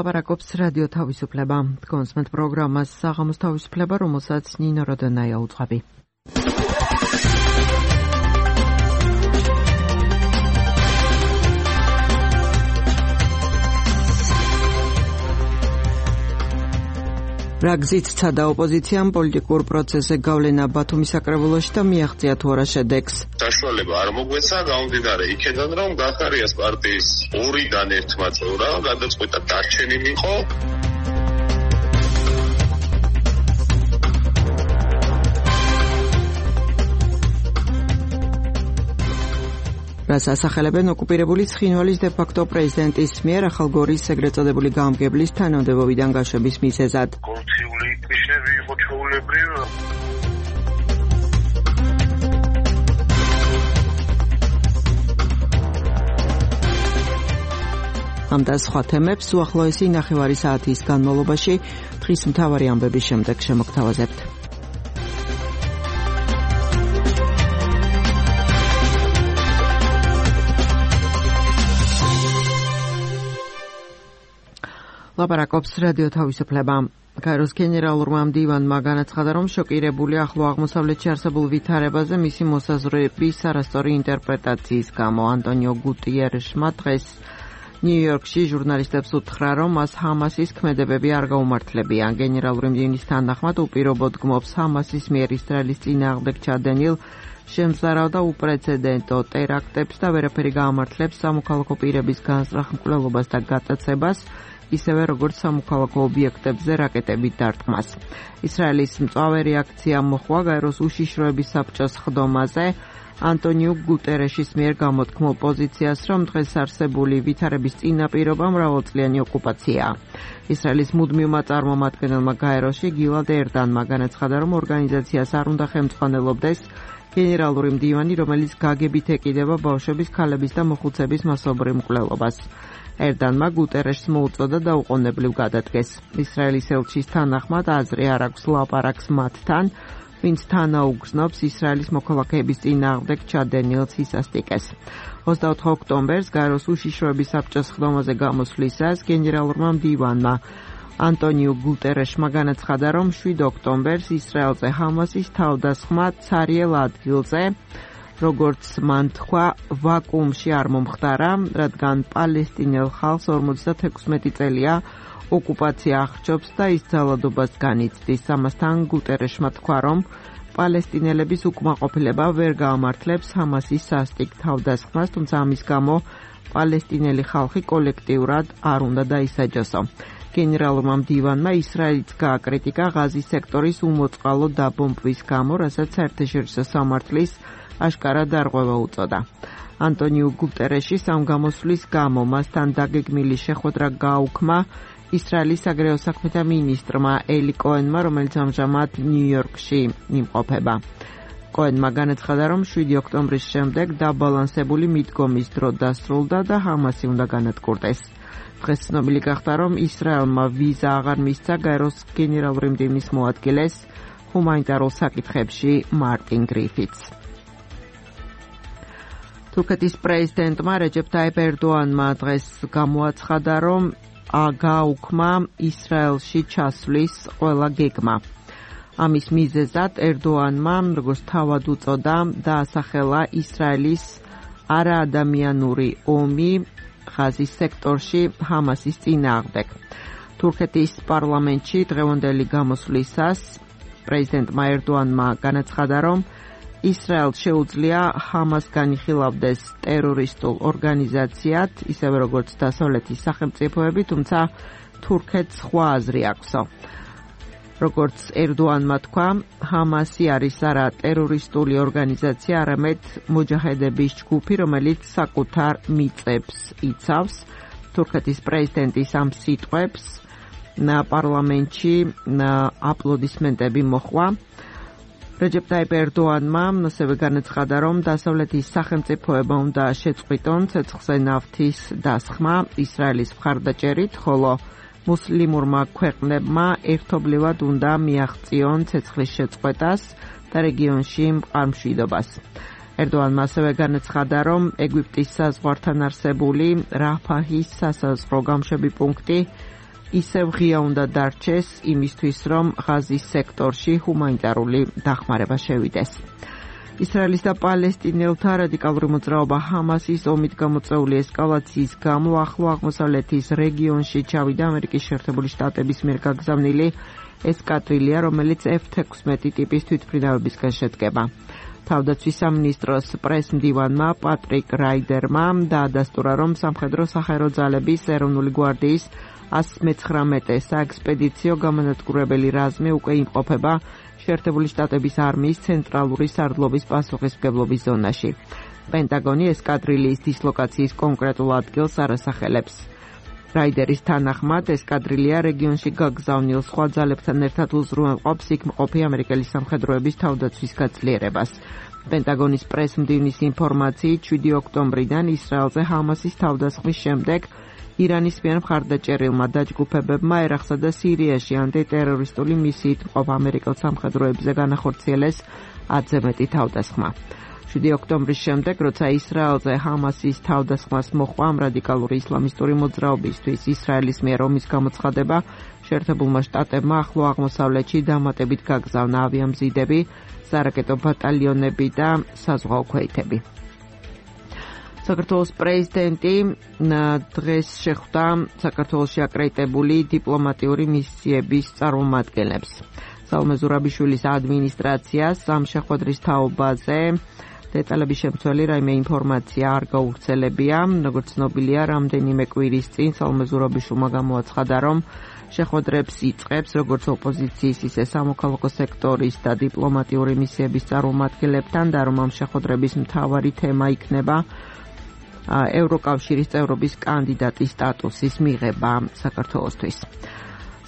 ლაპარაკობს რადიო თავისუფლება. კონსმენტ პროგრამას საღამოს თავისუფლება, რომელსაც ნინო როდონაია უძღვები. რა გზით ცადა ოპოზიციამ პოლიტიკურ პროცესზე გავლენა ბათუმის საკრებულოში და მიაღწია თუ არა შედეგს. საშუალება არ მოგვეცა, გამომდინარე იქედან, რომ გახარიას პარტიის ორიდან ერთმა წევრმა გადაწყვიტა დარჩენილი იყო. რას ასახელებენ ოკუპირებული ცხინვალის დე-ფაქტო პრეზიდენტის მიერ ახალგორის ეგრეთ წოდებული გამგებლის თანამდებობიდან გაშვების მიზეზად. კორუფციული ნიშნები იყო ჩვეულებრივ. ამ და სხვა თემებს უახლოესი ნახევარი საათის განმავლობაში დღის მთავარი ამბების შემდეგ შემოგთავაზებთ. ლაპარაკობს რადიო თავისუფლება. კაიროს გენერალურმა მდივანმა განაცხადა, რომ შოკირებული ახლო აღმოსავლეთში არსებულ ვითარებაზე მისი მოსაზრების არასწორი ინტერპრეტაციის გამო. ანტონიო გუტიერეშმა დღეს ნიუ-იორკში ჟურნალისტებს უთხრა, რომ მას ჰამასის ქმედებები არ გაუმართლებიან. გენერალური მდივნის თანახმად უპირობოდ გმობს ჰამასის მიერ ისრაელის წინააღმდეგ ჩადენილ შემზარავ და უპრეცედენტო ტერაქტებს და ვერაფერი გაამართლებს სამოქალაქო პირების განზრახ მკვლელობას და გატაცებას, ისევე როგორც სამოქალაქო ობიექტებზე რაკეტებით დარტყმას. ისრაელის მწვავე რეაქცია მოხდა გაეროს უშიშროების საბჭოს ხდომაზე ანტონიო გუტერეშის მიერ გამოთქმულ პოზიციას, რომ დღეს არსებული ვითარების წინაპირობა მრავალწლიანი ოკუპაციაა. ისრაელის მუდმივმა წარმომადგენელმა გაეროში გილად ერდანმა განაცხადა, რომ ორგანიზაციას არ უნდა ხელმძღვანელობდეს გენერალური მდივანი, რომელიც გაგებით ეკიდება ბავშვების, ქალების და მოხუცების მასობრივ მკვლელობას. ერდანმა გუტერეშს მოუწოდა დაუყოვნებლივ გადადგეს. ისრაელის ელჩის თანახმად აზრი არ აქვს ლაპარაკს მათთან, ვინც თანაუგრძნობს ისრაელის მოქალაქეების წინააღმდეგ ჩადენილ სისასტიკეს. 24 ოქტომბერს გაეროს უშიშროების საბჭოს ხდომაზე გამოსვლისას გენერალურმა მდივანმა ანტონიო გუტერეშმა განაცხადა, რომ 7 ოქტომბერს ისრაელზე ჰამასის თავდასხმა ცარიელ ადგილზე, როგორც მან თქვა, ვაკუუმში არ მომხდარა, რადგან პალესტინელ ხალხს 56 წელია ოკუპაცია აღჭობს და ის ძალადობას განიცდის. ამასთან გუტერეშმა თქვა, რომ პალესტინელების უკმაყოფილება ვერ გაამართლებს ჰამასის სასტიკ თავდასხმას, თუმცა ამის გამო პალესტინელი ხალხი კოლექტიურად არ უნდა დაისაჯოსო. გენერალურმა მდივანმა ისრაელიც გააკრიტიკა ღაზის სექტორის უმოწყალო დაბომბვის გამო, რასაც საერთაშორისო სამართლის აშკარა დარღვევა უწოდა. ანტონიო გუტერეშის ამ გამოსვლის გამო მასთან დაგეგმილი შეხვედრა გააუქმა ისრაელის საგარეო საქმეთა მინისტრმა ელი კოენმა, რომელიც ამჟამად ნიუ-იორკში იმყოფება. კოენმა განაცხადა, რომ 7 ოქტომბრის შემდეგ დაბალანსებული მიდგომის დრო დასრულდა და ჰამასი უნდა განადგურდეს. დღეს ცნობილი გახდა, რომ ისრაელმა ვიზა აღარ მისცა გაეროს გენერალური მდივნის მოადგილეს ჰუმანიტარულ საკითხებში მარტინ გრიფითს. თურქეთის პრეზიდენტმა რეჯეფ ტაიპ ერდოანმა დღეს გამოაცხადა, რომ გააუქმა ისრაელში ჩასვლის ყველა გეგმა. ამის მიზეზად ერდოანმა, როგორც თავად უწოდა, დაასახელა ისრაელის არაადამიანური ომი ღაზის სექტორში ჰამასის წინააღმდეგ. თურქეთის პარლამენტში დღევანდელი გამოსვლისას პრეზიდენტმა ერდოანმა განაცხადა, რომ ისრაელს შეუძლია ჰამას განიხილავდეს ტერორისტულ ორგანიზაციად, ისევე როგორც დასავლეთის სახელმწიფოები, თუმცა თურქეთს სხვა აზრი აქვსო. როგორც ერდოანმა თქვა, ჰამასი არის არა ტერორისტული ორგანიზაცია, არამედ მოჯაჰედების ჯგუფი, რომელიც საკუთარ მიწებს იცავს. თურქეთის პრეზიდენტის ამ სიტყვებს პარლამენტში აპლოდისმენტები მოჰყვა. რეჯეფ ტაიპ ერდოანმა ასევე განაცხადა, რომ დასავლეთის სახელმწიფოებმა უნდა შეწყვიტონ ცეცხლზე ნავთის დასხმა ისრაელის მხარდაჭერით, ხოლო მუსლიმურმა ქვეყნებმა ერთობლივად უნდა მიაღწიონ ცეცხლის შეწყვეტას და რეგიონში მყარ-მშვიდობას. ერდოანმა ასევე განაცხადა, რომ ეგვიპტის საზღვართან არსებული რაფაჰის სასაზღვრო გამშვები პუნქტი ისევ ღია უნდა დარჩეს იმისთვის, რომ ღაზის სექტორში ჰუმანიტარული დახმარება შევიდეს. ისრაელის და პალესტინელთა რადიკალური მოძრაობა ჰამასის ომით გამოწვეული ესკალაციის გამო ახლო აღმოსავლეთის რეგიონში ჩავიდა ამერიკის შეერთებული შტატების მიერ გაგზავნილი ესკადრილია, რომელიც F-16 ტიპის თვითმფრინავებისგან შედგება. თავდაცვის სამინისტროს პრეს-მდივანმა პატრიკ რაიდერმა დაადასტურა, რომ სამხედრო საჰაერო ძალების ეროვნული გვარდიის 119 საექსპედიციო გამანადგურებელი რაზმი უკვე იმყოფება შეერთებული შტატების არმიის ცენტრალური სარდლობის პასუხისმგებლობის ზონაში. პენტაგონი ესკადრილიის დისლოკაციის კონკრეტულ ადგილს არ ასახელებს. რაიდერის თანახმად ესკადრილია რეგიონში გაგზავნილ სხვა ძალებთან ერთად უზრუნველყოფს იქ მყოფი ამერიკელი სამხედროების თავდაცვის გაძლიერებას. პენტაგონის პრეს-მდივნის ინფორმაციით 7 ოქტომბრიდან ისრაელზე ჰამასის თავდასხმის შემდეგ ირანის მიერ მხარდაჭერილმა დაჯგუფებებმა ერაყსა და სირიაში ანტიტერორისტული მისიით მყოფ ამერიკელ სამხედროებზე განახორციელეს 10-ზე მეტი თავდასხმა. 7 ოქტომბრის შემდეგ, როცა ისრაელზე ჰამასის თავდასხმას მოჰყვა ამ რადიკალური ისლამისტური მოძრაობისთვის ისრაელის მიერ ომის გამოცხადება, შეერთებულმა შტატებმა ახლო აღმოსავლეთში დამატებით გაგზავნა ავიამზიდები, სარაკეტო ბატალიონები და საზღვაო ქვეითები. საქართველოს პრეზიდენტი დღეს შეხვდა საქართველოში აკრედიტებული დიპლომატიური მისიების წარმომადგენლებს. სალომე ზურაბიშვილის ადმინისტრაციას ამ შეხვედრის თაობაზე დეტალების შემცველი რაიმე ინფორმაცია არ გაუვრცელებია. როგორც ცნობილია, რამდენიმე კვირის წინ სალომე ზურაბიშვილმა გამოაცხადა, რომ შეხვედრებს იწყებს როგორც ოპოზიციის, ისე სამოქალაქო სექტორის და დიპლომატიური მისიების წარმომადგენლებთან და რომ ამ შეხვედრების მთავარი თემა იქნება ევროკავშირის წევრობის კანდიდატის სტატუსის მიღება საქართველოსთვის.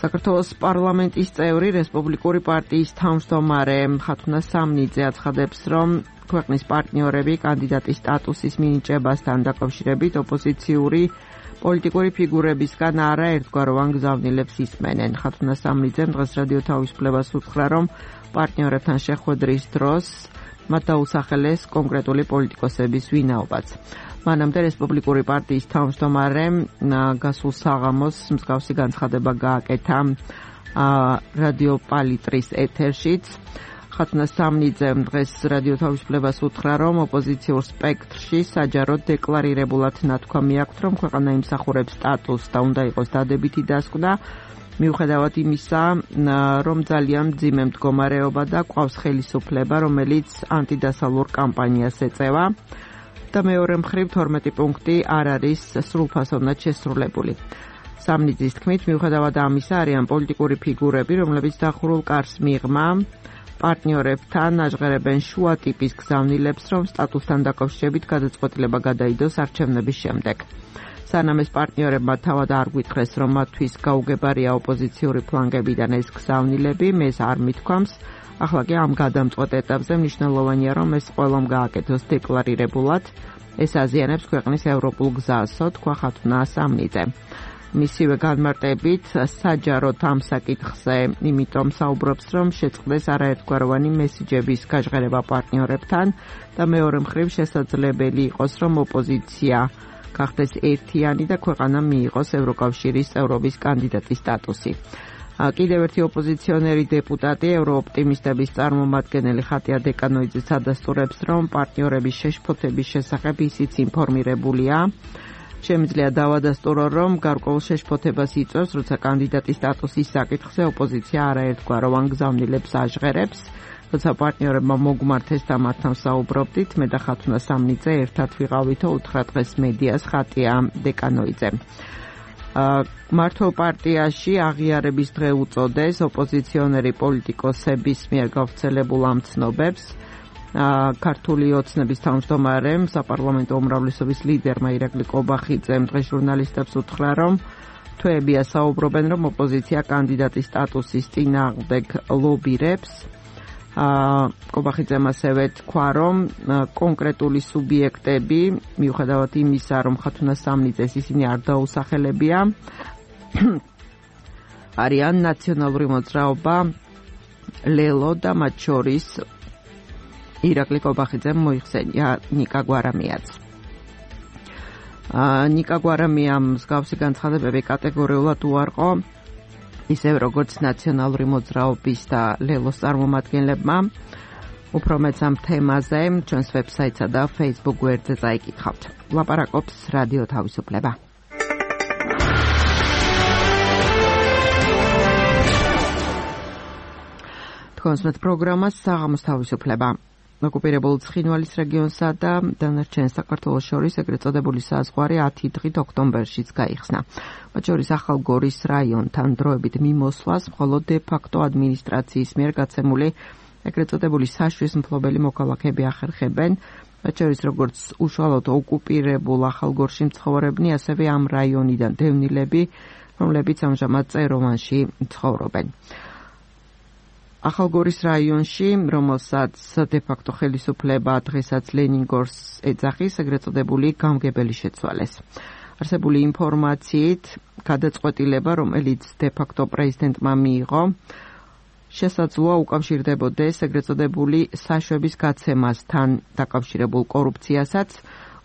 საქართველოს პარლამენტის წევრი რესპუბლიკური პარტიის თავმჯდომარე ხათუნა სამნიძე აცხადებს, რომ ქვეყნის პარტნიორები კანდიდატის სტატუსის მინიჭებასთან დაკავშირებით ოპოზიციური პოლიტიკური ფიგურებისგან არაერთგვაროვან გზავნილებს ისმენენ. ხათუნა სამნიძემ დღეს რადიო თავისუფლებას უთხრა, რომ პარტნიორებთან შეხვედრის დროს მათ დაუსახელეს კონკრეტული პოლიტიკოსების ვინაობაც. მანამდე რესპუბლიკური პარტიის თავმჯდომარემ გასულ საღამოს მსგავსი განცხადება გააკეთა რადიო პალიტრის ეთერშიც. ხათუნა სამნიძემ დღეს რადიო თავისუფლებას უთხრა, რომ ოპოზიციურ სპექტრში საჯაროდ დეკლარირებულად ნათქვამი აქვთ, რომ ქვეყანა იმსახურებს სტატუსს და უნდა იყოს დადებითი დასკვნა, მიუხედავად იმისა, რომ ძალიან მძიმე მდგომარეობა და ყავს ხელისუფლება, რომელიც ანტიდასალურ კამპანიას ეწევა და მეორე მხრივ 12 პუნქტი არ არის სრულფასოვნად შესრულებული. სამნიძის თქმით, მიუხედავად ამისა, არიან პოლიტიკური ფიგურები, რომლებიც დახურულ კარს მიღმა პარტნიორებთან აჟღერებენ შუა ტიპის გზავნილებს, რომ სტატუსთან დაკავშირებით გადაწყვეტილება გადაიდოს არჩევნების შემდეგ. სანამ ეს პარტნიორებმა თავად არ გვითხრეს, რომ მათთვის გაუგებარია ოპოზიციური ფლანგებიდან ეს გზავნილები, მეს არ მithქვამს. ახლა კი ამ გადამწყვეტ ეტაპზე მნიშვნელოვანია, რომ ეს ყველამ გააკეთოს დეკლარირებულად. ეს აზიანებს ქვეყნის ევროპულ გზასო, თქვა ხათუნა სამნიძე. მისივე განმარტებით საჯაროდ ამ საკითხზე, იმიტომ საუბრობს, რომ შეწყდეს არაერთგვაროვანი მესიჯების გაჟღერება პარტნიორებთან და მეორე მხრივ შესაძლებელი იყოს, რომ ოპოზიცია გახდეს ერთიანი და ქვეყანა მიიღოს ევროკავშირის წევრობის კანდიდატის სტატუსი. კიდევ ერთი ოპოზიციონერი დეპუტატი ევროოპტიმისტების წარმომადგენელი ხატია დეკანოიძეც ადასტურებს, რომ პარტნიორების შეშფოთების შესახებ ისიც ინფორმირებულია. შემიძლია დავადასტურო, რომ გარკვეულ შეშფოთებას იწვევს, როცა კანდიდატის სტატუსის საკითხზე ოპოზიცია არაერთგვაროვან გზავნილებს აჟღერებს. როცა პარტნიორებმა მოგმართეს და მათთან საუბრობდით, მე და ხათუნა სამნიძე ერთად ვიყავითო, უთხრა დღეს მედიას ხატია დეკანოიძე. მართლ პარტიაში აღიარების დღე უწოდეს ოპოზიციონერი პოლიტიკოსების მიერ გავრცელებულ ამ ცნობებს. ქართული ოცნების თავმჯდომარემ, საპარლამენტო უმრავლესობის ლიდერმა ირაკლი კობახიძემ დღეს ჟურნალისტებს უთხრა, რომ თვეებია საუბრობენ, რომ ოპოზიცია კანდიდატის სტატუსის წინააღმდეგ ლობირებს. კობახიძემ ასევე თქვა, რომ კონკრეტული სუბიექტები, მიუხედავად იმისა, რომ ხათუნა სამნიძეს ისინი არ დაუსახელებია, არიან ნაციონალური მოძრაობა ლელო და მათ შორის ირაკლი კობახიძემ მოიხსენია ნიკა გვარამიაც. ნიკა გვარამიამ მსგავსი განცხადებები კატეგორიულად უარყო, ისევ როგორც ნაციონალური მოძრაობის და ლელოს წარმომადგენლებმა. უფრო მეც ამ თემაზე ჩვენს ვებსაიტსა და Facebook გვერდზე წაიკითხავთ. ლაპარაკობს რადიო თავისუფლება. თქვენს პროგრამას საღამოს თავისუფლება. ოკუპირებულ ცხინვალის რეგიონსა და დანარჩენ საქართველოს შორის ეგრეთ წოდებული საზღვარი 10 დღით ოქტომბერშიც გაიხსნა. მათ შორის ახალგორის რაიონთან დროებით მიმოსვლას მხოლოდ დე-ფაქტო ადმინისტრაციის მიერ გაცემული ეგრეთ წოდებული საშვის მფლობელი მოქალაქეები ახერხებენ, მათ შორის როგორც უშუალოდ ოკუპირებულ ახალგორში მცხოვრებნი, ასევე ამ რაიონიდან დევნილები, რომლებიც ამჟამად წეროვანში ცხოვრობენ. ახალგორის რაიონში, რომელსაც დე-ფაქტო ხელისუფლება დღესაც ლენინგორს ეძახის, ეგრეთ წოდებული გამგებელი შეცვალეს. არსებული ინფორმაციით, გადაწყვეტილება, რომელიც დე-ფაქტო პრეზიდენტმა მიიღო, შესაძლოა უკავშირდებოდეს ეგრეთ წოდებული საშვების გაცემასთან დაკავშირებულ კორუფციასაც,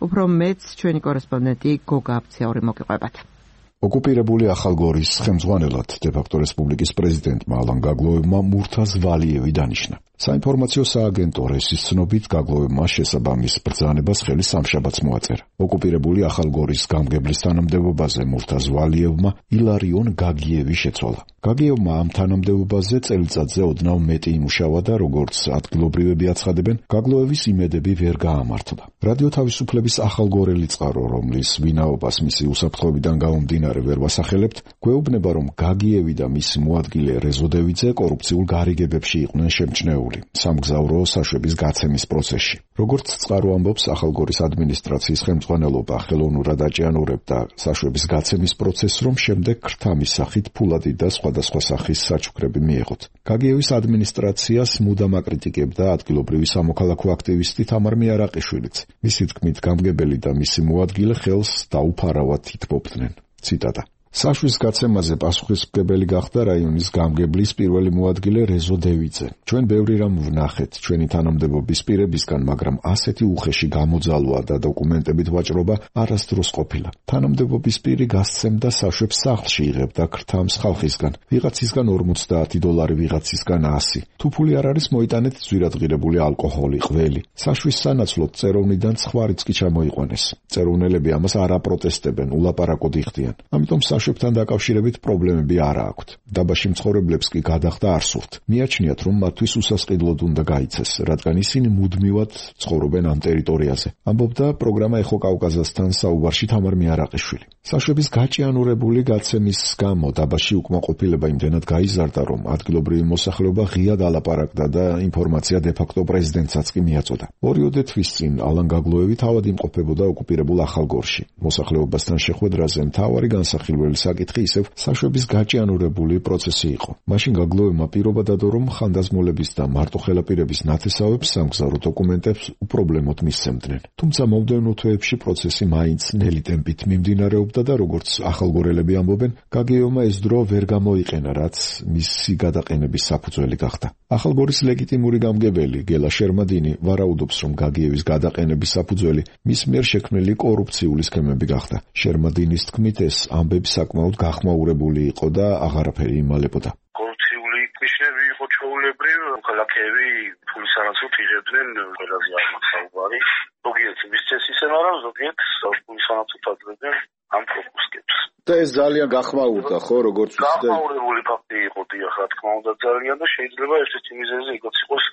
უფრო მეც ჩვენი კორესპონდენტი გოგა აბციური მოგიყვებათ. ოკუპირებული ახალგორის ხელმძღვანელად დე-ფაქტო რესპუბლიკის პრეზიდენტმა ალან გაგლოევმა მურთაზ ვალიევი დანიშნა. საინფორმაციო სააგენტო რესის ცნობით გაგლოევმა შესაბამის ბრძანებას ხელი სამშაბათს მოაწერა. ოკუპირებული ახალგორის გამგებლის თანამდებობაზე მურთაზ ვალიევმა ილარიონ გაგიევი შეცვალა. გაგიევმა ამ თანამდებობაზე წელიწადზე ოდნავ მეტი იმუშავა და როგორც ადგილობრივები აცხადებენ, გაგლოევის იმედები ვერ გაამართლა. რადიო თავისუფლების ახალგორელი წყარო, რომლის ვინაობას მისი უსაფრთხოებიდან გამომდინარე ვერ ვასახელებთ, გვეუბნება, რომ გაგიევი და მისი მოადგილე რეზო დევიძე კორუფციულ გარიგებებში იყვნენ შემჩნეული სამგზავრო საშვების გაცემის პროცესში. როგორც წყარო ამბობს, ახალგორის ადმინისტრაციის ხელმძღვანელობა ხელოვნურად აჭიანურებდა საშვების გაცემის პროცესს, რომ შემდეგ ქრთამის სახით ფულადი და სხვადასხვა სახის საჩუქრები მიეღოთ. გაგიევის ადმინისტრაციას მუდამ აკრიტიკებდა ადგილობრივი სამოქალაქო აქტივისტი თამარ მიარაყიშვილიც. მისი თქმით, გამგებელი და მისი მოადგილე ხელს დაუფარავად ითბობდნენ. ციტატა: საშვის გაცემაზე პასუხისმგებელი გახდა რაიონის გამგებლის პირველი მოადგილე რეზო დევიძე. ჩვენ ბევრი რამ ვნახეთ ჩვენი თანამდებობის პირებისგან, მაგრამ ასეთი უხეში გამოძალვა და დოკუმენტებით ვაჭრობა არასდროს ყოფილა. თანამდებობის პირი გასცემდა საშვებს სახლში, იღებდა ქრთამს ხალხისგან, ვიღაცისგან $50, ვიღაცისგან 100. თუ ფული არ არის, მოიტანეთ ძვირადღირებული ალკოჰოლი, ყველი. საშვის სანაცვლოდ წეროვნიდან ცხვარიც კი ჩამოიყვანეს. წეროვნელები ამას არ აპროტესტებენ, ულაპარაკოდ იხდიან. ამიტომ საშვებთან დაკავშირებით პრობლემები არ აქვთ. დაბაში მცხოვრებლებს კი გადახდა არ სურთ. მიაჩნიათ, რომ მათთვის უსასყიდლოდ უნდა გაიცეს, რადგან ისინი მუდმივად ცხოვრობენ ამ ტერიტორიაზე. ამბობდა პროგრამა ეხო კავკაზასთან საუბარში თამარ მიარაყიშვილი. საშვების გაჭიანურებული გაცემის გამო დაბაში უკმაყოფილება იმდენად გაიზარდა, რომ ადგილობრივი მოსახლეობა ღიად ალაპარაკდა და ინფორმაცია დე-ფაქტო პრეზიდენტსაც კი მიაწოდა. 2 თვის წინ ალან გაგლოევი თავად იმყოფებოდა ოკუპირებულ ახალგორში. მოსახლეობასთან შეხვედრაზე მთავარი განსახილველი საკითხი ისევ საშვების გაჭიანურებული პროცესი იყო. მაშინ გაგლოევმა პირობა დადო, რომ ხანდაზმულების და მარტოხელაპირების ნათესავებს სამგზავრო დოკუმენტებს უპრობლემოდ მისცემდნენ. თუმცა მომდევნო თვეებში პროცესი მაინც ნელი ტემპით მიმდინარეობდა და როგორც ახალგორელები ამბობენ, გაგიევმა ეს დრო ვერ გამოიყენა, რაც მისი გადაყენების საფუძველი გახდა. ახალგორის ლეგიტიმური გამგებელი გელა შერმადინი ვარაუდობს, რომ გაგიევის გადაყენების საფუძველი მის მიერ შექმნილი კორუფციული სქემები გახდა. შერმადინის თქმით, ეს ამბები საკმაოდ გახმაურებული იყო და აღარაფერი იმალებოდა. კორუფციული ნიშნები იყო ჩვეულებრივ, ქალაქები ფულის არასრულ იღებდნენ ყველაზე არმად საუბარი. ზოგიერთ მისცეს ისე, მაგრამ ზოგიერთ ფულის არასრულ ადრებდნენ ამ პროპუსკებს. და ეს ძალიან გახმაურდა, ხო, როგორც ვიცი. გახმაურებული ფაქტი იყო, დიახ, რა თქმა უნდა ძალიან და შეიძლება ერთ-ერთი მიზეზი იქაც იყოს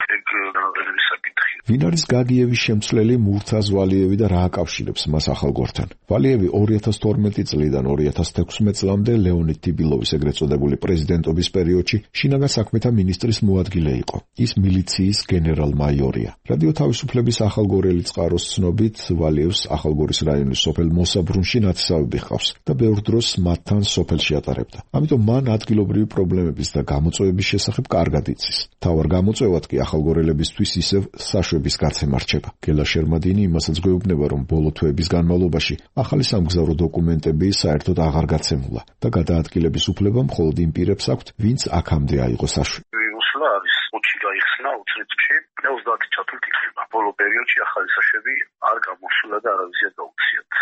განაყენების საკითხი. ვინ არის გაგიევის შემცვლელი მურთაზ ვალიევი და რა აკავშირებს მას ახალგორთან? ვალიევი 2012 წლიდან 2016 წლამდე ლეონიდ ტიბილოვის ეგრეთ წოდებული პრეზიდენტობის პერიოდში შინაგან საქმეთა მინისტრის მოადგილე იყო. ის მილიციის გენერალ-მაიორია. რადიო თავისუფლების ახალგორელი წყაროს ცნობით, ვალიევს ახალგორის რაიონის სოფელ მოსაბრუნში ნათესავები ჰყავს და ბევრ დროს მათთან სოფელში ატარებდა. ამიტომ მან ადგილობრივი პრობლემების და გამოწვევების შესახებ კარგად იცის. მთავარ გამოწვევად კი ახალგორელებისთვის ისევ საშვების გაცემა რჩება. გელა შერმადინი იმასაც გვეუბნება, რომ ბოლო თვეების განმავლობაში ახალი სამგზავრო დოკუმენტები საერთოდ აღარ გაცემულა და გადაადგილების უფლება მხოლოდ იმ პირებს აქვთ, ვინც აქამდე აიღო საშვი. მოსვლა არის 20 გაიხსნა 20 წუთში, 30 ჩათვლით იქნება. ბოლო პერიოდში ახალი საშვები არ გამოსულა და არავისია გაუციათ.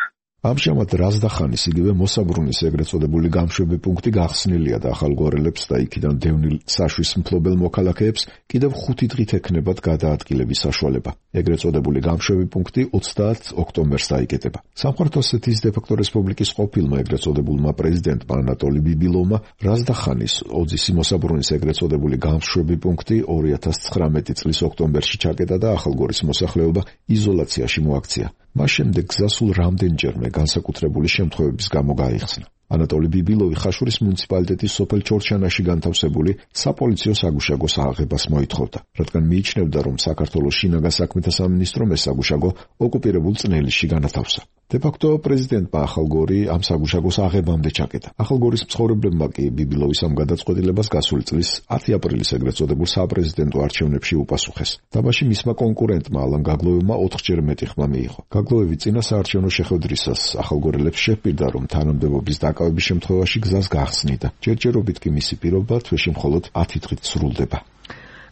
ამჟამად რაზდახანის იგივე მოსაბრუნის ეგრეთ წოდებული გამშვები პუნქტი გახსნილია და ახალგვარელებს და იქიდან დევნილ საშვის მფლობელ მოქალაქეებს კიდევ 5 დღით ექნებათ გადაადგილების საშუალება. ეგრეთ წოდებული გამშვები პუნქტი 30 ოქტომბერს დაიკეტება. სამხრეთ ოსეთის დე-ფაქტო რესპუბლიკის ყოფილმა ეგრეთ წოდებულმა პრეზიდენტმა ანატოლი ბიბილოვმა რაზდახანის ოძისი მოსაბრუნის ეგრეთ წოდებული გამშვები პუნქტი 2019 წლის ოქტომბერში ჩაკეტა და ახალგორის მოსახლეობა იზოლაციაში მოაქცია. მას შემდეგ გზასულ რამდენჯერმე განსაკუთრებული შემთხვევების გამო გაიხსნა. ანატოლი ბიბილოვი ხაშურის მუნიციპალიტეტის სოფელ ჩორჩანაში განთავსებული საპოლიციო საგუშაგოს აღებას მოითხოვდა, რადგან მიიჩნევდა, რომ საქართველოს შინაგან საქმეთა სამინისტრომ ეს საგუშაგო ოკუპირებულ წნელიში განათავსა. დე-ფაქტო პრეზიდენტმა ახალგორი ამ საგუშაგოს აღებამდე ჩაკეტა. ახალგორის მცხოვრებლებმა კი ბიბილოვის ამ გადაწყვეტილებას გასული წლის 10 აპრილის ეგრეთ წოდებულ საპრეზიდენტო არჩევნებში უპასუხეს. დაბაში მისმა კონკურენტმა ალან გაგლოევმა 4-ჯერ მეტი ხმა მიიღო. გაგლოევი წინა საარჩევნო შეხვედრისას ახალგორელებს შეჰპირდა, რომ თანამდებობის დაკავების შემთხვევაში გზას გახსნიდა. ჯერჯერობით კი მისი პირობა თვეში მხოლოდ 10 დღით სრულდება.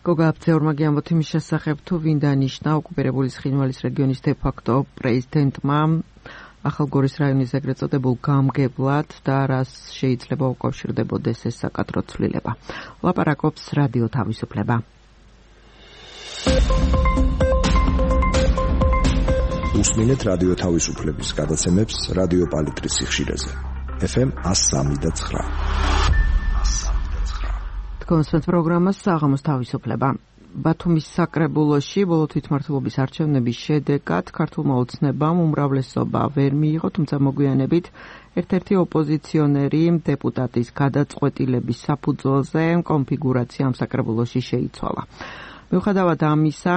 გოგა აფცეორმა გიამბოთ იმის შესახებ, თუ ვინ დანიშნა ოკუპირებული ცხინვალის რეგიონის დე-ფაქტო პრეზიდენტმა ახალგორის რაიონის ეგრეთ წოდებულ გამგებლად და რას შეიძლება უკავშირდებოდეს ეს საკადრო ცვლილება. ლაპარაკობს რადიო თავისუფლება. უსმინეთ რადიო თავისუფლების გადაცემებს რადიო პალიტრის სიხშირეზე. FM 103.9. კონსერტ პროგრამას საღამოს თავისუფლება. ბათუმის საკრებულოში ბოლო თვითმმართველობის არჩევნების შედეგად ქართულმა ოცნებამ უმრავლესობა ვერ მიიღო, თუმცა მოგვიანებით ერთ-ერთი ოპოზიციონერი დეპუტატის გადაწყვეტილების საფუძველზე კონფიგურაცია ამ საკრებულოში შეიცვალა. მიუხედავად ამისა,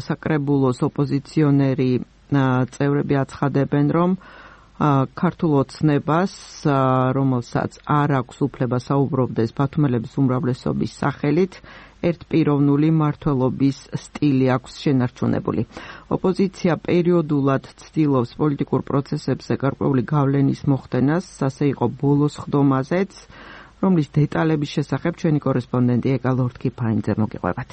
საკრებულოს ოპოზიციონერი წევრები აცხადებენ, რომ ქართულ ოცნებას, რომელსაც არ აქვს უფლება საუბრობდეს ბათუმელების უმრავლესობის სახელით, ერთპიროვნული მმართველობის სტილი აქვს შენარჩუნებული. ოპოზიცია პერიოდულად ცდილობს პოლიტიკურ პროცესებზე გარკვეული გავლენის მოხდენას, ასე იყო ბოლოს ხდომაზეც, რომლის დეტალების შესახებ ჩვენი კორესპონდენტი ეკა ლორდ-კიფაინძე მოგიყვებათ.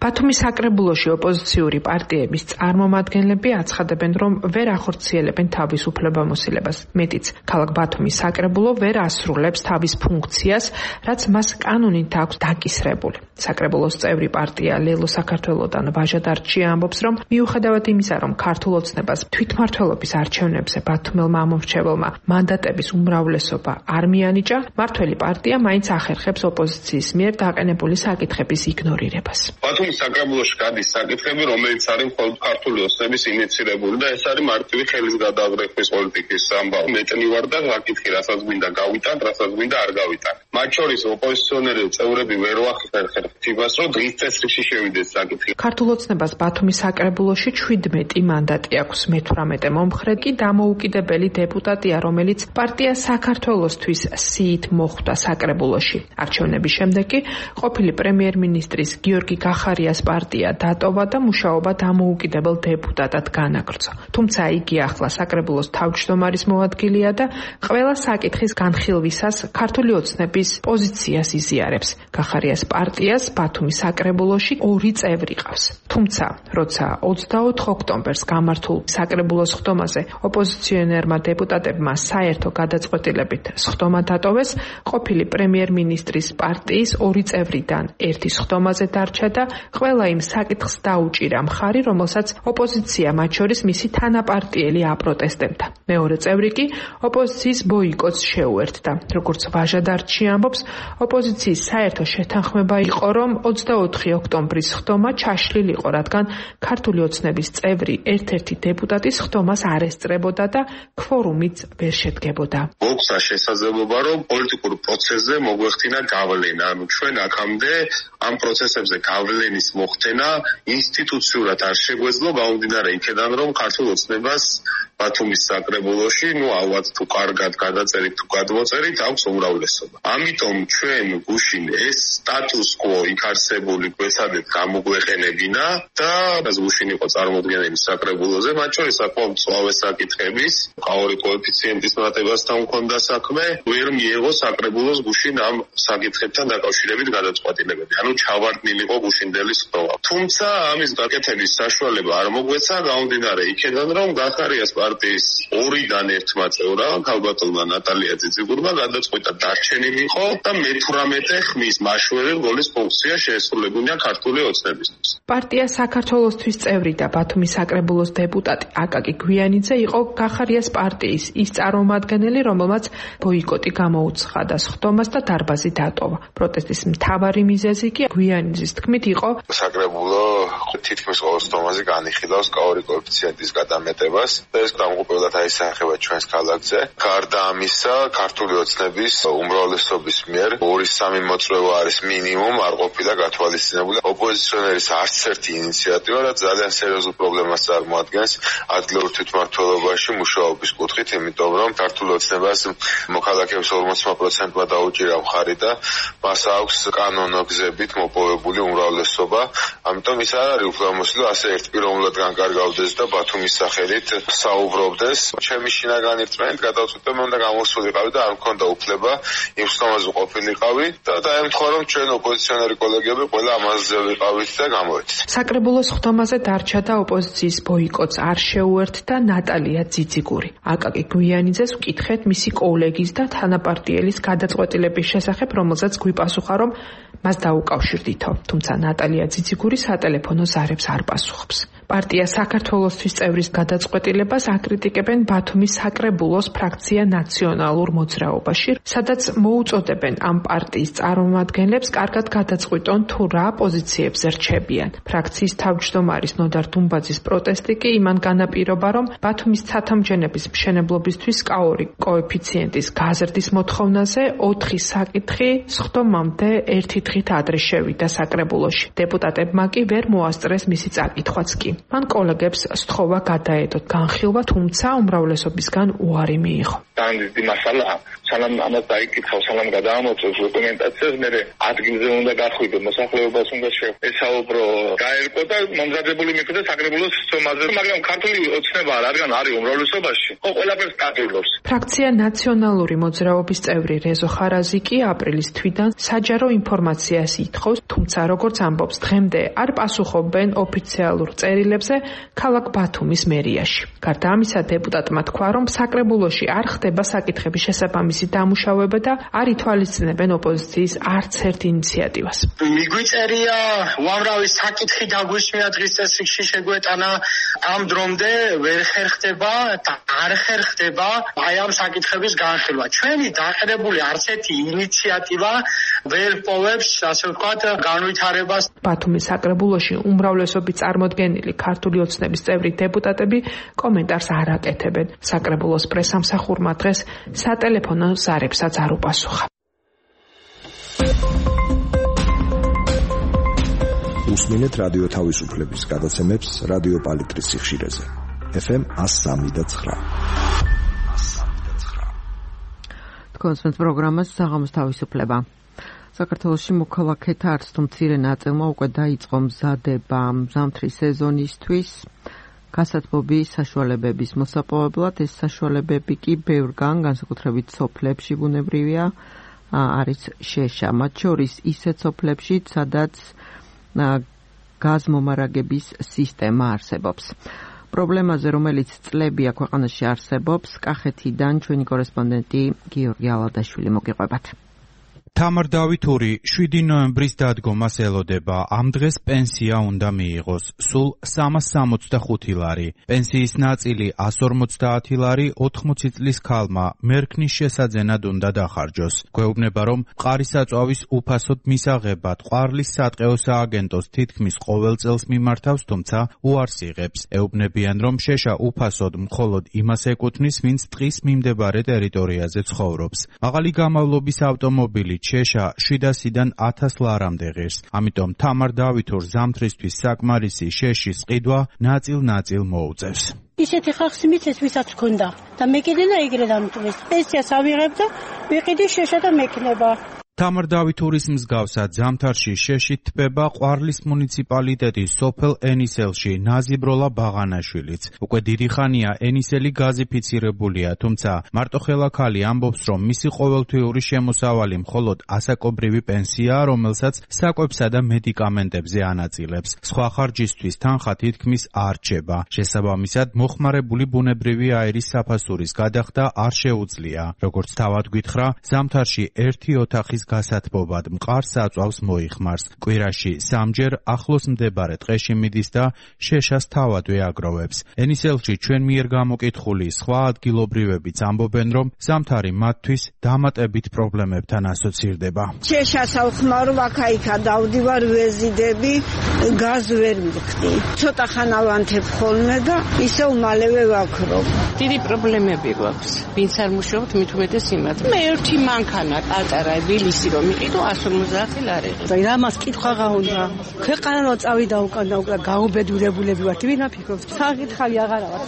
ბათუმის საკრებულოში ოპოზიციური პარტიების წარმომადგენლები აცხადებენ, რომ ვერ ახორციელებენ თავის უფლებამოსილებას. მეტიც, ქალაქ ბათუმის საკრებულო ვერ ასრულებს თავის ფუნქციას, რაც მას კანონით აქვს დაკისრებული. საკრებულოს წევრი პარტია ლელო საქართველოდან ვაჟა დარჩია ამბობს, რომ მიუხედავად იმისა, რომ ქართულ ოცნებას თვითმმართველობის არჩევნებზე ბათუმელმა ამომრჩეველმა მანდატების უმრავლესობა არ მიანიჭა, მმართველი პარტია მაინც ახერხებს ოპოზიციის მიერ დაყენებული საკითხების იგნორირებას. საკრებულოში გადის საკითხები, რომელიც არის მხოლოდ ქართული ოცნების ინიციირებული და ეს არის მარტივი ხელის გადააღრევის პოლიტიკის ამბავი. მეტნი ვარ და საკითხი, რასაც მინდა გავიტან, რასაც მინდა არ გავიტან. მათ შორის ოპოზიციონერი წევრები ვერ ვახერხებთ იმას, რომ დღის წესრიგში შევიდეს საკითხი. ქართულ ოცნებას ბათუმის საკრებულოში 17 მანდატი აქვს, მე-18 მომხრე კი დამოუკიდებელი დეპუტატია, რომელიც პარტია საქართველოსთვის სიით მოხვდა საკრებულოში. არჩევნების შემდეგ კი ყოფილი პრემიერ-მინისტრის გიორგი ხარიას პარტია დატოვა და მუშაობა დამოუკიდებელ დეპუტატად განაგრძო. თუმცა იგი ახლა საკრებულოს თავმჯდომარის მოადგილეა და ყველა საკითხის განხილვისას ქართული ოცნების პოზიციას იზიარებს. ხარიას პარტიას ბათუმის საკრებულოში 2 წევრი ყავს. თუმცა, როცა 24 ოქტომბერს გამართულ საკრებულოს ხდომაზე ოპოზიციონერმა დეპუტატებმა საერთო გადაწყვეტილებით ხდომა დატოვეს, ყოფილი პრემიერ-მინისტრის პარტიის 2 წევრიდან ერთის ხდომაზე დარჩა და ყველა იმ საკითხს დაუჭირა მხარი, რომელსაც ოპოზიცია მათ შორის მისი თანაპარტიელი აპროტესტებდა. მეორე წევრი კი ოპოზიციის ბოიკოტს შეუერთდა. როგორც ვაჟა დარჩი ამბობს, ოპოზიციის საერთო შეთანხმება იყო, რომ 24 ოქტომბრის ხდომა ჩაშლილიყო, რადგან ქართული ოცნების წევრი ერთ-ერთი დეპუტატის ხდომას არ ესწრებოდა და ქვორუმიც ვერ შედგებოდა. მოხდა შესაძლებლობა, რომ პოლიტიკურ პროცესზე მოგვეხდინა გავლენა, ანუ ჩვენ აქამდე ამ პროცესებზე გავლენის მოხდენა ინსტიტუციურად არ შეგვეძლო, გამომდინარე იქედან, რომ ქართულ ოცნებას ბათუმის საკრებულოში, ალბათ თუ კარგად გადაწერით, თუ გადმოწერით, აქვს უმრავლესობა. ამიტომ ჩვენ გუშინ ეს სტატუს კვო იქ არსებული გვესადეთ გამოგვეყენებინა და გუშინ იყო წარმოდგენილი საკრებულოზე, მათ შორის საკმაოდ მწვავე საკითხების, ყაური კოეფიციენტის მატებასთან მქონდა საქმე, ვერ მიიღო საკრებულოს გუშინ ამ საკითხებთან დაკავშირებით გადაწყვეტილებები. ანუ ჩავარდნილიყო გუშინდელი ხდომა. თუმცა ამის გაკეთების საშუალება არ მოგვეცა, გამომდინარე იქედან, რომ ხარიას პარტიის 2-დან 1 წევრმა, ქალბატონმა ნატალია ძიძიგურმა გადაწყვიტა დარჩენილიყო და მე-18 ხმის მაშველი როლის ფუნქცია შეესრულებინა ქართული ოცნებისთვის. პარტია საქართველოსთვის წევრი და ბათუმის საკრებულოს დეპუტატი აკაკი გვიანიძე იყო გახარიას პარტიის ის წარმომადგენელი, რომელმაც ბოიკოტი გამოუცხადა სხდომას და დარბაზი დატოვა. პროტესტის მთავარი მიზეზი კი გვიანიძის თქმით იყო საკრებულო თითქმის ყოველ სხდომაზე განიხილავს კაური კოეფიციენტის გადამეტებას და ეს დამოუკიდებლად აისახება ჩვენს ქალაქზე. გარდა ამისა, ქართული ოცნების უმრავლესობის მიერ 2-3 მოწვევა არის მინიმუმ არ ყოფილა გათვალისწინებული. ოპოზიციონერის არც ერთი ინიციატივა, რაც ძალიან სერიოზულ პრობლემას წარმოადგენს ადგილობრივ თვითმმართველობაში მუშაობის კუთხით, იმიტომ რომ ქართული ოცნებას მოქალაქეების 40%-მა დაუჭირა მხარი და მას აქვს კანონოგზებით მოპოვებული უმრავლესობა. ამიტომ ის არ არის უფლებამოსილი ასე ერთპიროვნულად განკარგავდეს და ბათუმის სახელით საუბრობდეს. ჩემი შინაგანი რწმენით გადავწყვიტე, მე უნდა გამოსულიყავი და არ მქონდა უფლება იმ სხდომაზე ყოფილიყავი და დაემთხვა, რომ ჩვენ ოპოზიციონერი კოლეგები ყველა ამაზე ვიყავით და გამოვედით. საკრებულოს სხდომაზე დარჩა და ოპოზიციის ბოიკოტს არ შეუერთდა ნატალია ძიძიგური. აკაკი გვიანიძეს ვკითხეთ მისი კოლეგის და თანაპარტიელის გადაწყვეტილების შესახებ, რომელზეც გვიპასუხა, რომ მას დაუკავშირდითო, თუმცა ნატალია ძიძიგური სატელეფონო ზარებს არ პასუხობს. პარტია საქართველოსთვის წევრის გადაწყვეტილებას აკრიტიკებენ ბათუმის საკრებულოს ფრაქცია ნაციონალურ მოძრაობაში, სადაც მოუწოდებენ ამ პარტიის წარმომადგენლებს კარგად გადაწყვიტონ თუ რა პოზიციებზე რჩებიან. ფრაქციის თავმჯდომარის ნოდარ დუმბაძის პროტესტი კი იმან განაპირობა, რომ ბათუმის ცათამბჯენების მშენებლობისთვის კაური კოეფიციენტის გაზრდის მოთხოვნაზე 4 საკითხი სხდომამდე 1 დღით ადრე შევიდა საკრებულოში. დეპუტატებმა კი ვერ მოასწრეს მისი წაკითხვაც კი. მან კოლეგებს სთხოვა გადაედოთ განხილვა, თუმცა უმრავლესობისგან უარი მიიღო. დიდი მასალაა. სანამ ამას დაიკითხავ, სანამ გადაამოწევს დოკუმენტაციას, მე ადგილზე უნდა გახვიდო, მოსახლეობას უნდა ესაუბრო, გაერკო და მომზადებული მიხვდა საკრებულოს სხდომაზე, მაგრამ ქართული ოცნება რადგან არის უმრავლესობაში, ყველაფერს დაძლევს. ფრაქცია ნაციონალური მოძრაობის წევრი რეზო ხარაზი კი აპრილის თვიდან საჯარო ინფორმაციას ითხოვს, თუმცა როგორც ამბობს, დღემდე არ პასუხობენ ოფიციალურ წერილებზე ქალაქ ბათუმის მერიაში. გარდა ამისა, დეპუტატმა თქვა, რომ საკრებულოში არ ხდება საკითხების შესაბამისი დამუშავება და არ ითვალისწინებენ ოპოზიციის არც ერთ ინიციატივას. მიგვიწერია უამრავი საკითხი დაგვისმია დღის წესრიგში შეგვეტანა, ამ დრომდე ვერ ხერხდება და არ ხერხდება აი ამ საკითხების განხილვა. ჩვენი დაყრდებული არც ერთი ინიციატივა ვერ პოვებს, ასე ვთქვათ, განვითარებას. ბათუმის საკრებულოში უმრავლესობის წარმოდგენილი ქართული ოცნების წევრი დეპუტატები კომენტარს არ აკეთებენ. საკრებულოს პრესამსახურმა დღეს სატელეფონო ზარებსაც არ უპასუხა. უსმინეთ რადიო თავისუფლების გადაცემებს რადიო პალიტრის სიხშირეზე. FM 103.9. კონსპენს პროგრამას საღამოს თავისუფლება. საქართველოში მოქალაქეთა არც თუ მცირე ნაწილმა უკვე დაიწყო მზადება ზამთრის სეზონისთვის გასათბობის საშუალებების მოსაპოვებლად. ეს საშუალებები კი ბევრგან, განსაკუთრებით სოფლებში ბუნებრივია, არის შეშა. მათ შორის ისეთ სოფლებშიც, სადაც გაზმომარაგების სისტემა არსებობს. პრობლემაზე, რომელიც წლებია ქვეყანაში არსებობს, კახეთიდან ჩვენი კორესპონდენტი გიორგი ალადაშვილი მოგიყვებათ. თამარ დავითური 7 ნოემბრის დადგომას ელოდება. ამ დღეს პენსია უნდა მიიღოს სულ 365 ლარი. პენსიის ნაწილი 150 ლარი 80 წლის ქალმა მერქნის შესაძენად უნდა დახარჯოს. გვეუბნება, რომ მყარისაწვავის უფასოდ მისაღებად ყვარლის სატყეო სააგენტოს თითქმის ყოველ წელს მიმართავს, თუმცა უარს იღებს. ეუბნებიან, რომ შეშა უფასოდ მხოლოდ იმას ეკუთვნის, ვინც ტყის მიმდებარე ტერიტორიაზე ცხოვრობს. მაღალი გამავლობის ავტომობილი შეშა 700-დან 1000 ლარამდე ღირს. ამიტომ თამარ დავითურს ზამთრისთვის საკმარისი შეშის ყიდვა ნაწილ-ნაწილ მოუწევს. ისეთი ხალხი მიცეს, ვისაც ჰქონდა და მე კიდე და ეგრე დამტვრის. პენსიას ავიღებ და ვიყიდი შეშა და მექნება. თამარ დავითურის მსგავსად ზამთარში შეშით თბება ყვარლის მუნიციპალიტეტის სოფელ ენისელში ნაზიბროლა ბაღანაშვილიც. უკვე დიდი ხანია ენისელი გაზიფიცირებულია, თუმცა მარტოხელა ქალი ამბობს, რომ მისი ყოველთვიური შემოსავალი მხოლოდ ასაკობრივი პენსიაა, რომელსაც საკვებსა და მედიკამენტებზე ანაწილებს. სხვა ხარჯისთვის თანხა თითქმის არ რჩება. შესაბამისად, მოხმარებული ბუნებრივი აირის საფასურის გადახდა არ შეუძლია. როგორც თავად გითხრა, ზამთარში ერთი ოთახის გასათბობად მყარ საწვავს მოიხმარს. კვირაში სამჯერ ახლოს მდებარე ტყეში მიდის და შეშას თავადვე აგროვებს. ენისელში ჩვენ მიერ გამოკითხული სხვა ადგილობრივებიც ამბობენ, რომ ზამთარი მათთვის დამატებით პრობლემებთან ასოცირდება. შეშას ავხმარო, აქა-იქა დავდივარ, ვეზიდები, გაზ ვერ მივხდი. ცოტა ხანა ვანთებ ხოლმე და ისევ მალევე ვაქრობ. დიდი პრობლემები გვაქვს. ვინც არ მუშაობთ, მით უმეტეს იმათ. მე ერთი მანქანა პატარა ვილისი რომ იყიდო 150 ლარი. და მას კითხვა უნდა. ქვეყანა წავიდა უკან გაუბედურებულები ვართ. ვინ აფიქრობს? საკითხავი აღარა ვარ.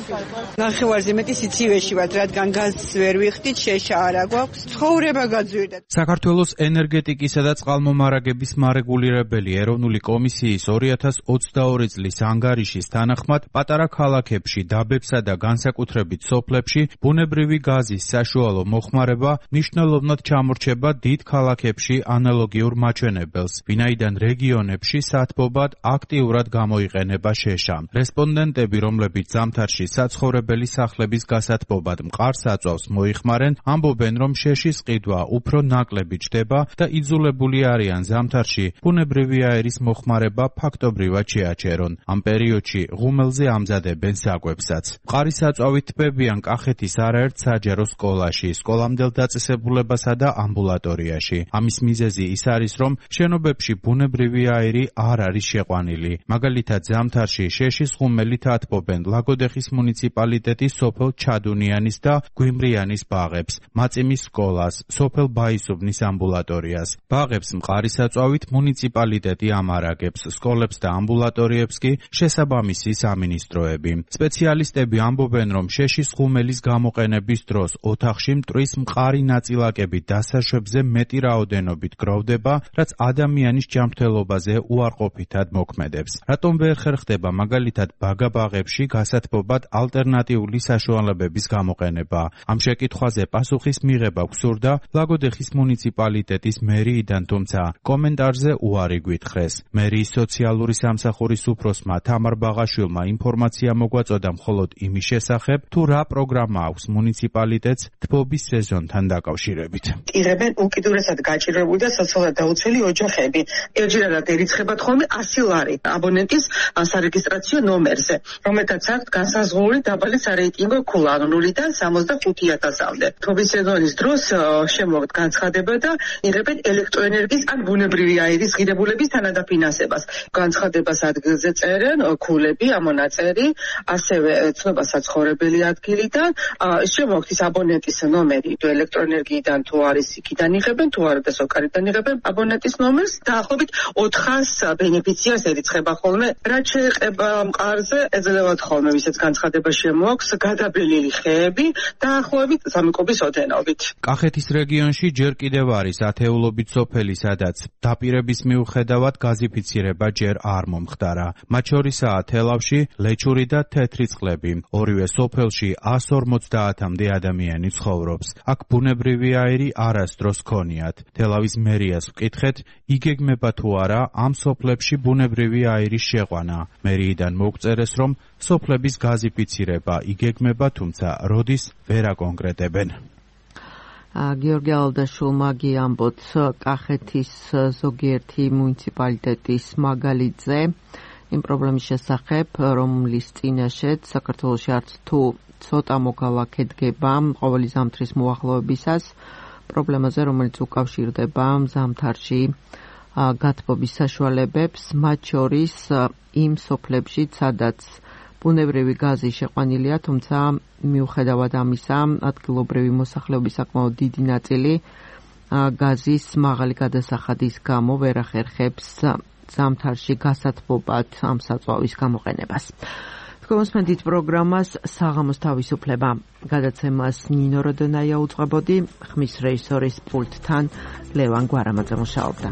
ნახევარზე მეტი სიცივეში ვართ, რადგან გაზს ვერ ვიხდით, შეშა არა გვაქვს. ცხოვრება გაძვირდა. საქართველოს ენერგეტიკისა და წყალმომარაგების მარეგულირებელი ეროვნული კომისიის 2022 წლის ანგარიშის თანახმად პატარა ქალაქებში, დაბებსა და განსაკუთრებით სოფლებში ბუნებრივი გაზის საშუალო მოხმარება მნიშვნელოვნად ჩამორჩება დიდ ქალაქებში ანალოგიურ მაჩვენებელს, ვინაიდან რეგიონებში სათბობად აქტიურად გამოიყენება შეშა. რესპონდენტები, რომლებიც ზამთარში საცხოვრებელი სახლების გასათბობად მყარ საწვავს მოიხმარენ, ამბობენ, რომ შეშის ყიდვა უფრო ნაკლები ჩდება და იძულებული არიან ზამთარში ბუნებრივი აირის მოხმარება ფაქტობრივად შეაჩერონ. ამ პერიოდში ღუმელზე ამზადებენ საკვებსაც. მყარი საწვავით თბებიან კახეთის არაერთ საჯარო სკოლაში, სკოლამდელ დაწესებულებასა და ამბულატორიაში. ამის მიზეზი ის არის, რომ შენობებში ბუნებრივი აირი არ არის შეყვანილი. მაგალითად, ზამთარში შეშის ღუმელით ათბობენ ლაგოდეხის მუნიციპალიტეტის სოფელ ჩადუნიანის და გვიმრიანის ბაღებს, მაწიმის სკოლას, სოფელ ბაისუბნის ამბულატორიას. ბაღებს მყარი საწვავით მუნიციპალიტეტი ამარაგებს, სკოლებს და ამბულატორიებს კი შესაბამისი სამინისტროები. სპეციალისტები ამბობენ, რომ შეშის ღუმელის გამოყენების დროს ოთახში მტვრის მყარი ნაწილაკები დასაშვებზე მეტი რაოდენობით გროვდება, რაც ადამიანის ჯანმრთელობაზე უარყოფითად მოქმედებს. რატომ ვერ ხერხდება მაგალითად ბაგაბაღებში გასათბობად ალტერნატიული საშუალებების გამოყენება? ამ შეკითხვაზე პასუხის მიღება გვსურდა ლაგოდეხის მუნიციპალიტეტის მერიიდან, თუმცა კომენტარზე უარი გვითხრეს. მერიის სოციალური სამსახურის უფროსმა თამარ ბაღაშვილმა ინფორმაცია მოგვაწოდა მხოლოდ იმის შესახებ, თუ რა პროგრამა აქვს მუნიციპალიტეტს თბობის სეზონთან დაკავშირებით. იღებენ უკიდურესად გაჭირვებული და სოციალურად დაუცველი ოჯახები. ერთჯერადად ერიცხებათ ხოლმე 100 ლარი აბონენტის სარეგისტრაციო ნომერზე, რომელთაც აქვთ განსაზღვრული დაბალი სარეიტინგო ქულა 0-დან 65,000-მდე. თბობის სეზონის დროს შემოგვთ განცხადება და იღებენ ელექტროენერგიის ან ბუნებრივი აირის ღირებულების თანადაფინანსებას. განცხადებას ადგილზე წერენ ქულები, ამონაწერი, ასევე ცნობა საცხოვრებელი ადგილიდან, შემოგვთ ის აბონენტის ნომერი, თუ ელექტროენერგიიდან თუ არის იქიდან იღებენ, თუ არა და სოკარიდან იღებენ აბონენტის ნომერს. დაახლოებით 400 ბენეფიციარს ერიცხება ხოლმე. რაც შეეხება მყარზე, ეძლევათ ხოლმე ვისაც განცხადება შემოაქვს, გადაბელილი ხეები დაახლოებით 3 კუბის ოდენობით. კახეთის რეგიონში ჯერ კიდევ არის ათეულობით სოფელი, სადაც დაპირების მიუხედავად გაზიფიცირება ჯერ არ მომხდარა. მათ შორისაა თელავში, ლეჩური და თეთრი წყლები. ორივე სოფელში 150-მდე ადამიანი ცხოვრობს. აქ ბუნებრივი აირი არასდროს ქონიათ. თელავის მერიას ვკითხეთ, იგეგმება თუ არა ამ სოფლებში ბუნებრივი აირის შეყვანა. მერიიდან მოგწერეს, რომ სოფლების გაზიფიცირება იგეგმება, თუმცა როდის ვერ აკონკრეტებენ. გიორგი ალდაშვილმა ამბობს კახეთის ზოგიერთი მუნიციპალიტეტის მაგალითზე იმ პრობლემის შესახებ, რომლის წინაშეც საქართველოში არც თუ ცოტა მოგავა ქედგება ყოველი ზამთრის მოახლოებისას, პრობლემაზე, რომელიც უკავშირდება ზამთარში გათბობის საშუალებებს, მათ შორის იმ სოფლებში, სადაც ბუნებრივი გაზი შეყვანილია, თუმცა მიუხედავად ამისა, ადგილობრივი მოსახლეობის საკმაოდ დიდი ნაწილი გაზის მაღალი გადასახადის გამო ვერ ახერხებს ზამთარში გასათბობად ამ საწვავის გამოყენებას. თქვენს პროგრამას საღამოს თავისუფლება. გადაცემას ნინო როდონაია უძღვებოდი, ხმის რეჟისორის პულტთან ლევან გვარამაძე მუშაობდა.